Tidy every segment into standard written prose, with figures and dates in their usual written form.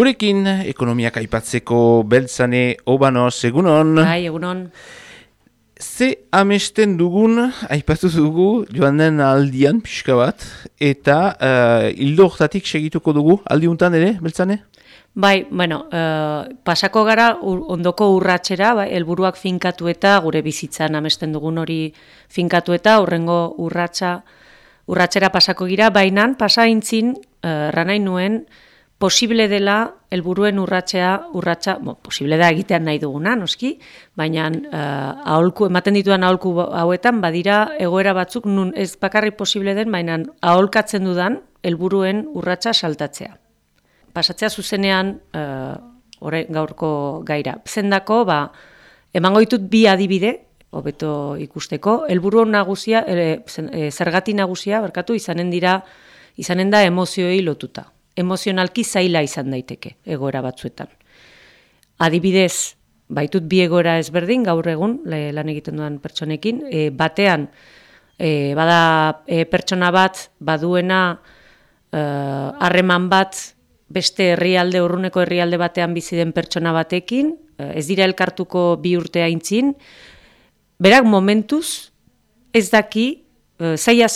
Gurekin, ekonomiak aipatzeko Beltzane Obanos, egunon. Bai, egunon. Ze amesten dugun, aipatu dugu, joan den aldian, pixka bat, eta hildo hortatik segituko dugu, aldiuntan ere, Beltzane? Bai, pasako gara ondoko urratsera, bai, helburuak finkatu eta gure bizitzan amesten dugun hori finkatu eta hurrengo urratsera pasako gira, bainan pasaintzin ranai nuen posible dela helburuen urratsa, posible da egitean nahi duguna, noski, baina ematen ditudan aholku hauetan badira egoera batzuk nun ez bakarrik posible den, baina aholkatzen dudan helburuen urratsa saltatzea. Pasatzea zuzenean gaurko gaira. Zendako, emango ditut bi adibide, hobeto ikusteko, helburu nagusia, zergati nagusia, izanen da emozioei lotuta. Emozionalki zaila izan daiteke egoera batzuetan. Adibidez, baitut bi egoera ezberdin gaur egun lan egiten dudan pertsonekin, batean bada pertsona bat baduena harreman bat beste urruneko herrialde batean bizi den pertsona batekin, ez dira elkartuko 2 urte aintzin, berak momentuz ez daki zaila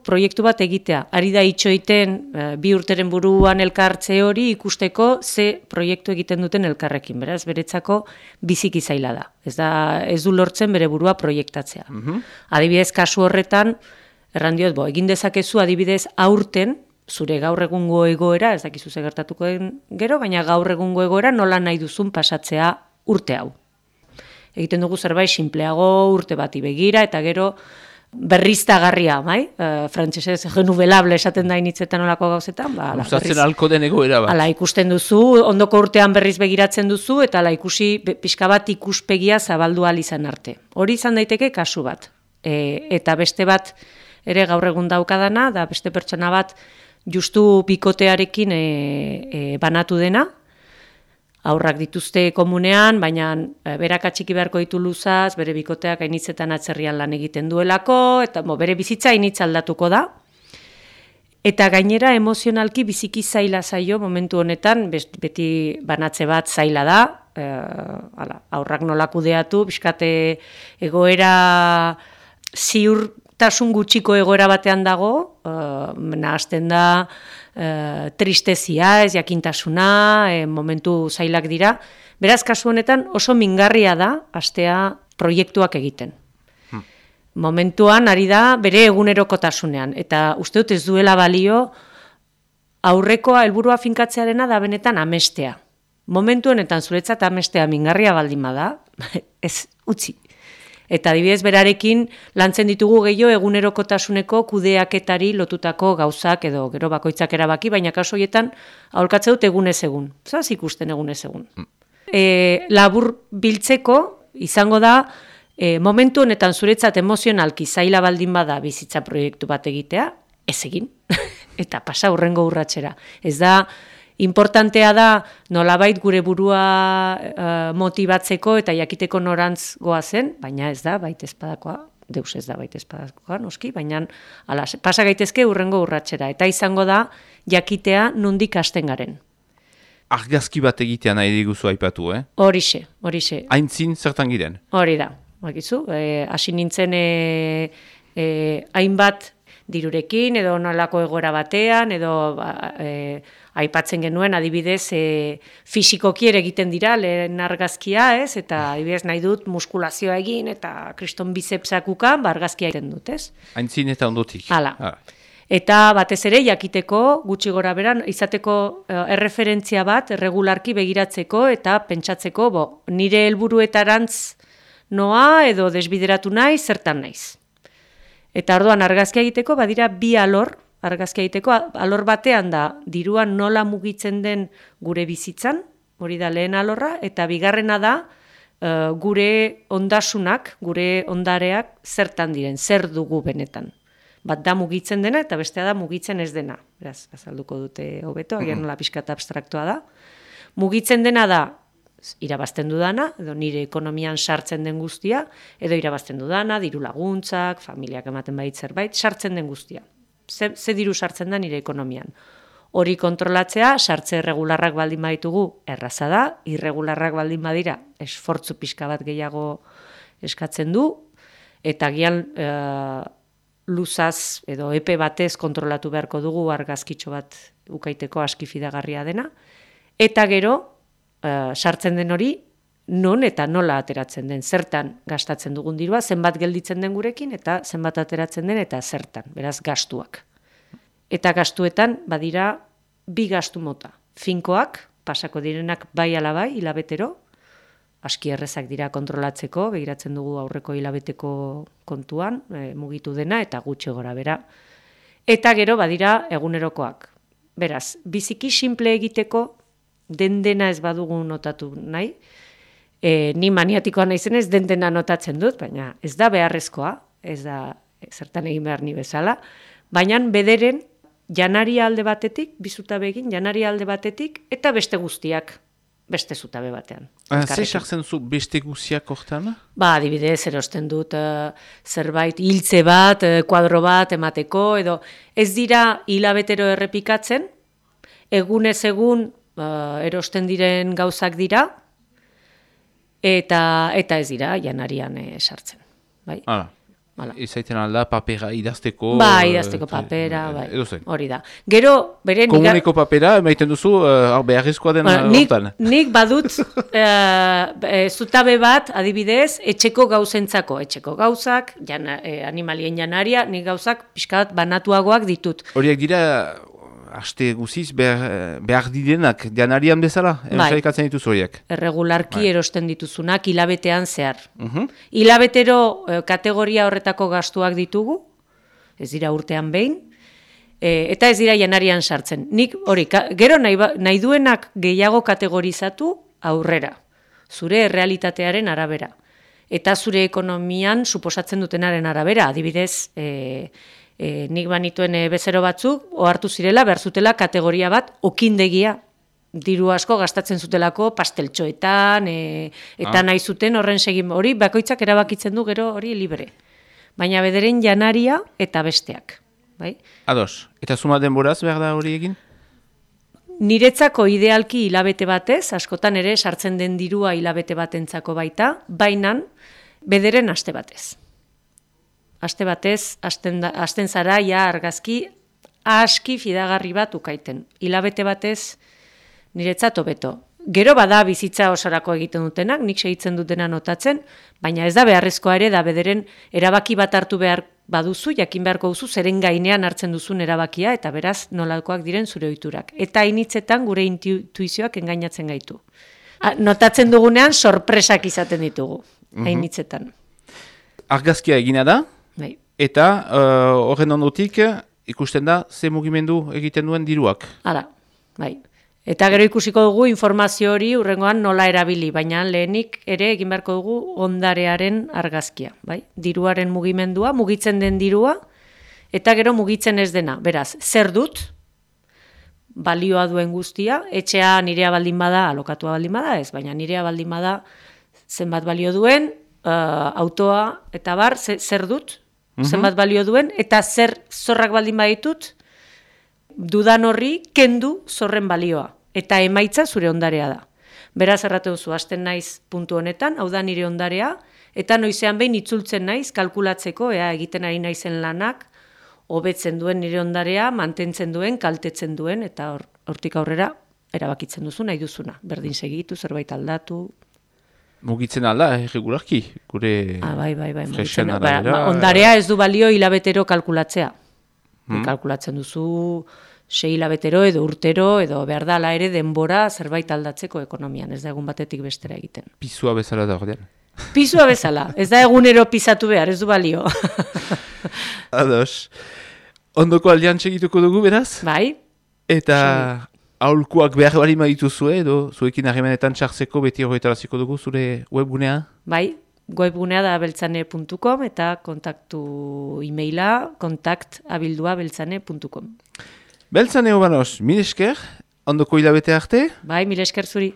proiektu bat egitea. Ari da itxoiten 2 urteren buruan elkartze hori ikusteko ze proiektu egiten duten elkarrekin. Beraz, beretzako biziki zaila da. Ez du lortzen bere burua proiektatzea. Adibidez, kasu horretan, errandiot, egin dezakezu adibidez aurten, zure gaur egungo egoera, ez dakizu ze gertatuko den gero, baina gaur egungo egoera nola nahi duzun pasatzea urte hau. Egiten dugu zerbait sinpleago urte bati begira, eta gero berriztagarria, frantsesez renouvelable esaten da initzetan olako gauzetan. Gustatzen halko den egoera bat. Hala ikusten duzu, ondoko urtean berriz begiratzen duzu, eta ikusi pixka bat ikuspegia zabaldu ahal izan arte. Hori izan daiteke kasu bat. Eta beste bat ere gaur egun daukadana, da beste pertsona bat justu bikotearekin banatu dena, aurrak dituzte komunean, baina berak atxiki beharko ditu luzaz, bere bikoteak hainitzetan atzerrian lan egiten duelako, eta bere bizitza hainitz aldatuko da. Eta gainera emozionalki biziki zaila zaio momentu honetan, beti banatze bat zaila da, aurrak nola kudeatu, bizkate egoera ziurtasun gutxiko egoera batean dago, nahazten da, tristezia, ez jakintasuna, momentu zailak dira. Beraz, kasu honetan oso mingarria da hastea proiektuak egiten. Momentuan ari da bere egunerokotasunean, eta uste dut ez duela balio aurrekoa helburua finkatzearena da benetan amestea. Momentu honetan zuretzat amestea mingarria baldin bada, ez utzi. Eta adibidez berarekin lantzen ditugu gehiago egunerokotasuneko kudeaketari lotutako gauzak edo gero bakoitzak erabaki, baina kasu horietan aholkatze dut egunez egun. Zaz ikusten egunez egun. Labur biltzeko izango da momentu honetan zuretzat emozionalki zaila baldin bada bizitza proiektu bat egitea, ez egin. Eta pasa hurrengo urratsera. Ez da importantea da nolabait gure burua motibatzeko eta jakiteko norantz goazen, baina ez da baitezpadakoa, deus ez da baitezpadakoa, noski, baina pasa gaitezke hurrengo urratsera. Eta izango da jakitea nondik hasten garen. Argazki bat egitea nahi diguzu aipatu, Horixe. Aintzin zertan giren? Hori da, bakizu, hasi nintzen hainbat dirurekin, edo nolako egoera batean, edo aipatzen genuen, adibidez, fisikoki ere egiten dira, lehen argazkia, ez? Eta adibidez nahi dut muskulazioa egin, eta kriston bizepsak ukan, argazkia egiten dut, ez? Aintzin eta ondotik. Hala. Eta batez ere, jakiteko, gutxi gora beran, izateko erreferentzia bat, erregularki begiratzeko, eta pentsatzeko, nire helburuetarantz noa, edo desbideratu nahi, zertan naiz. Eta orduan argazkia egiteko badira bi alor, argazkia egiteko alor batean da diruan nola mugitzen den gure bizitzan, hori da lehen alorra, eta bigarrena da gure ondasunak, gure ondareak zertan diren, zer dugu benetan. Bat da mugitzen dena eta bestea da mugitzen ez dena. Beraz, azalduko dute hobeto, agian nola pixkat abstraktua da. Mugitzen dena da irabazten dudana, edo nire ekonomian sartzen den guztia, edo irabazten dudana, diru laguntzak, familiak ematen bait zerbait, sartzen den guztia. Ze diru sartzen da nire ekonomian. Hori kontrolatzea, sartze irregularrak baldin baditugu erraza da, irregularrak baldin badira esfortzu pixka bat gehiago eskatzen du, eta gian luzaz edo epe batez kontrolatu beharko dugu argazkitxo bat ukaiteko aski fidagarria dena, eta gero sartzen den hori non eta nola ateratzen den, zertan gastatzen dugun dirua, zenbat gelditzen den gurekin eta zenbat ateratzen den eta zertan, beraz gastuak. Eta gastuetan badira bi gastu mota, finkoak, pasako direnak bai ala bai, hilabetero, aski errezak dira kontrolatzeko, begiratzen dugu aurreko hilabeteko kontuan, mugitu dena eta gutxi gora bera. Eta gero badira egunerokoak. Beraz, biziki simple egiteko dena ez badugu notatu nahi, ni maniatikoa naizenez dena notatzen dut, baina ez da beharrezkoa, ez da zertan egin behar ni bezala, baina bederen janaria alde batetik, bizutabe egin, janaria alde batetik, eta beste guztiak beste zutabe batean. Zer sartzen zu beste guztiak hortan? Adibidez, erosten dut zerbait hiltze bat, kuadro bat emateko, edo ez dira hilabetero errepikatzen, egunez egun erosten diren gauzak dira, eta ez dira janarian sartzen. Bai? Izaiten alda papera idazteko... idazteko papera, hori da. Gero, bere... Komuneko papera, emaiten duzu, beharrizkoa den hortan. Nik badut zutabe bat, adibidez, etxeko gauzentzako. Etxeko gauzak, animalien janaria, nik gauzak pixkat banatuagoak ditut. Horiek dira... Aste guziz behar direnak janarian bezala, ikatzen dituz horiek. Erregularki erosten dituzunak hilabetean zehar. Hilabetero kategoria horretako gastuak ditugu, ez dira urtean behin, eta ez dira janarian sartzen. Nik hori, gero nahi duenak gehiago kategorizatu aurrera, zure errealitatearen arabera. Eta zure ekonomian suposatzen dutenaren arabera, adibidez... nik banituen bezero batzuk, ohartu zirela, behar zutela kategoria bat, okindegia, diru asko gastatzen zutelako pasteltxoetan, eta nahi zuten horren segin hori, bakoitzak erabakitzen du gero hori libre. Baina bederen janaria eta besteak. Bai? Ados, eta zuma denboraz behar da hori egin? Niretzako idealki hilabete batez, askotan ere sartzen den dirua hilabete batentzako baita, bainan bederen aste batez. Aste batez, hasten zara, argazki, aski fidagarri bat ukaiten. Hilabete batez, niretzat hobeto. Gero bada bizitza osorako egiten dutenak, nik segitzen dutena notatzen, baina ez da beharrezkoa ere, da bederen erabaki bat hartu behar baduzu, jakin beharko duzu, zeren gainean hartzen duzun erabakia, eta beraz nolakoak diren zure ohiturak. Eta hainitzetan gure intuizioak engainatzen gaitu. Notatzen dugunean, sorpresak izaten ditugu, hainitzetan. Argazkia egina da? Eta horren ondotik ikusten da ze mugimendu egiten duen diruak. Hala, bai. Eta gero ikusiko dugu informazio hori urrengoan nola erabili, baina lehenik ere egin beharko dugu ondarearen argazkia. Bai? Diruaren mugimendua, mugitzen den dirua, eta gero mugitzen ez dena. Beraz, zer dut, balioa duen guztia, etxea nirea baldin bada, alokatua baldin bada ez, baina nirea baldin bada zenbat balio duen, autoa eta bar, zer dut, zenbat balio duen, eta zer zorrak baldin baditut, dudan horri kendu zorren balioa. Eta emaitza zure ondarea da. Beraz errate duzu, hasten naiz puntu honetan, hau da nire ondarea, eta noizean behin itzultzen naiz, kalkulatzeko, egiten ari naizen lanak, hobetzen duen nire ondarea, mantentzen duen, kaltetzen duen, eta hortik aurrera erabakitzen duzu, nahi duzuna. Berdin segitu, zerbait aldatu... Mugitzen alda, regularki, gure... Bai, ondarea ez du balio hilabetero kalkulatzea. Kalkulatzen duzu 6 hilabetero edo urtero, edo behar da ala ere denbora zerbait aldatzeko ekonomian, ez da egun batetik bestera egiten. Pisua bezala da ordean. Pisua bezala, ez da egunero pisatu behar, ez du balio. Ados. Ondoko aldean segituko dugu, beraz? Bai. Eta... Aholkuak behar bali madituzue, edo zuekin harremanetan txartzeko beti horretaraziko dugu zure webgunea? Bai, webgunea da beltzane.com eta kontaktu e-maila kontakt@beltzane.com. Beltzane Obanos, mil esker, ondoko hilabete arte? Bai, mil esker zuri.